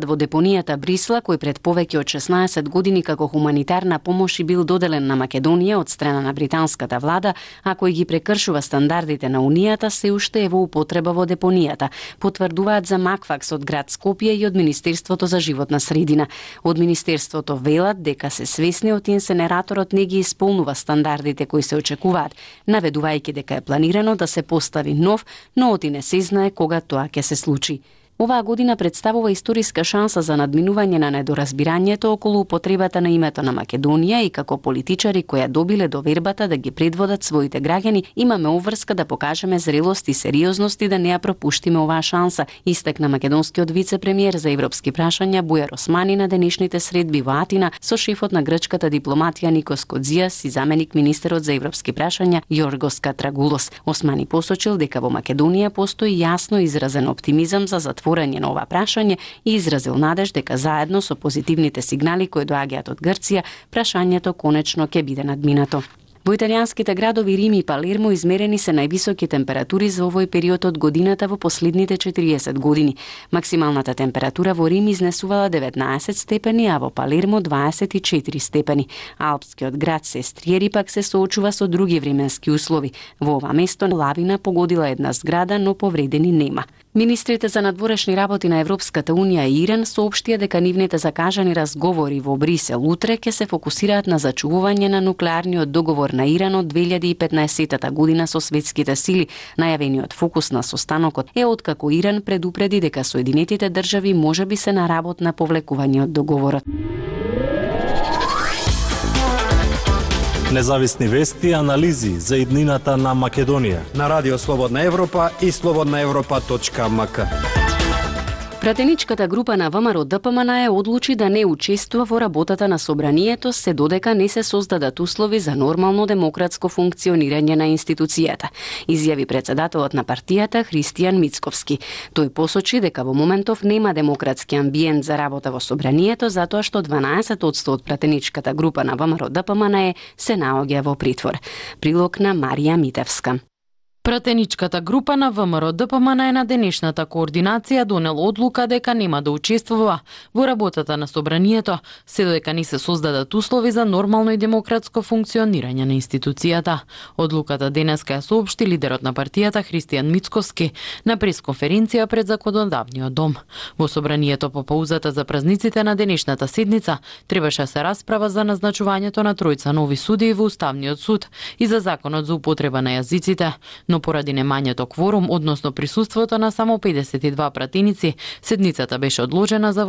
во депонијата Брисла, кој пред повеќе од 16 години како хуманитарна помош и бил доделен на Македонија од страна на британската влада, а кој ги прекршува стандардите на Унијата, се уште е во употреба во депонијата, потврдуваат за Макфакс од град Скопје и од Министерството за животна средина. Од Министерството велат дека се свесни од инсенераторот не ги исполнува стандардите кои се очекуваат, наведувајќи дека е планирано да се постави нов, но оти не се знае кога тоа ќе се случи. Оваа година представува историска шанса за надминување на недоразбирањето околу употребата на името на Македонија и како политичари кои ја добиле довербата да ги предводат своите граѓани, имаме обврска да покажеме зрелост и сериозност и да не ја пропуштиме оваа шанса, истакна македонскиот вице-премиер за европски прашања Бујар Османи на денешните средби во Атина со шефот на грчката дипломатија Никос Кодзиас и заменик министерот за европски прашања Јоргос Катрагулос. Османи посочил дека во Македонија постои јасно изразен оптимизам за затворање на ова прашање и изразил надеж дека заедно со позитивните сигнали кои доаѓаат од Грција, прашањето конечно ќе биде надминато. Во италијанските градови Рим и Палермо измерени се највисоки температури за овој период од годината во последните 40 години. Максималната температура во Рим изнесувала 19 степени, а во Палермо 24 степени. Алпскиот град Сестриери пак се соочува со други временски услови. Во ова место лавина погодила една зграда, но повредени нема. Министрите за надворешни работи на Европската Унија и Иран соопштија дека нивните закажани разговори во Брисел утре ќе се фокусираат на зачувување на нуклеарниот договор на Иран од 2015 година со светските сили. Најавениот фокус на состанокот е откако Иран предупреди дека Соединетите држави можеби се на работ на повлекување од договорот. Независни вести и анализи за иднината на Македонија на Радио Слободна Европа и slobodnaevropa.mk. Пратеничката група на ВМРО ДПМН одлучи да не учествува во работата на собранието, се додека не се создадат услови за нормално демократско функционирање на институцијата, изјави председателот на партијата Христијан Мицковски. Тој посочи дека во моментов нема демократски амбиент за работа во собранието, затоа што 12% од пратеничката група на ВМРО ДПМН се наоѓа во притвор. Прилог на Марија Митевска. Пратеничката група на ВМРО ДПМН на денешната координација донел одлука дека нема да учествува во работата на собранието, се додека не се создадат услови за нормално и демократско функционирање на институцијата. Одлуката денеска ја соопшти лидерот на партијата Христијан Мицковски на пресконференција пред Законодавниот дом. Во собранието по паузата за празниците на денешната седница требаше се расправа за назначувањето на тројца нови судии во Уставниот суд и за законот за употреба на јазиците, но поради немањето кворум, односно присуството на само 52 пратеници, седницата беше одложена за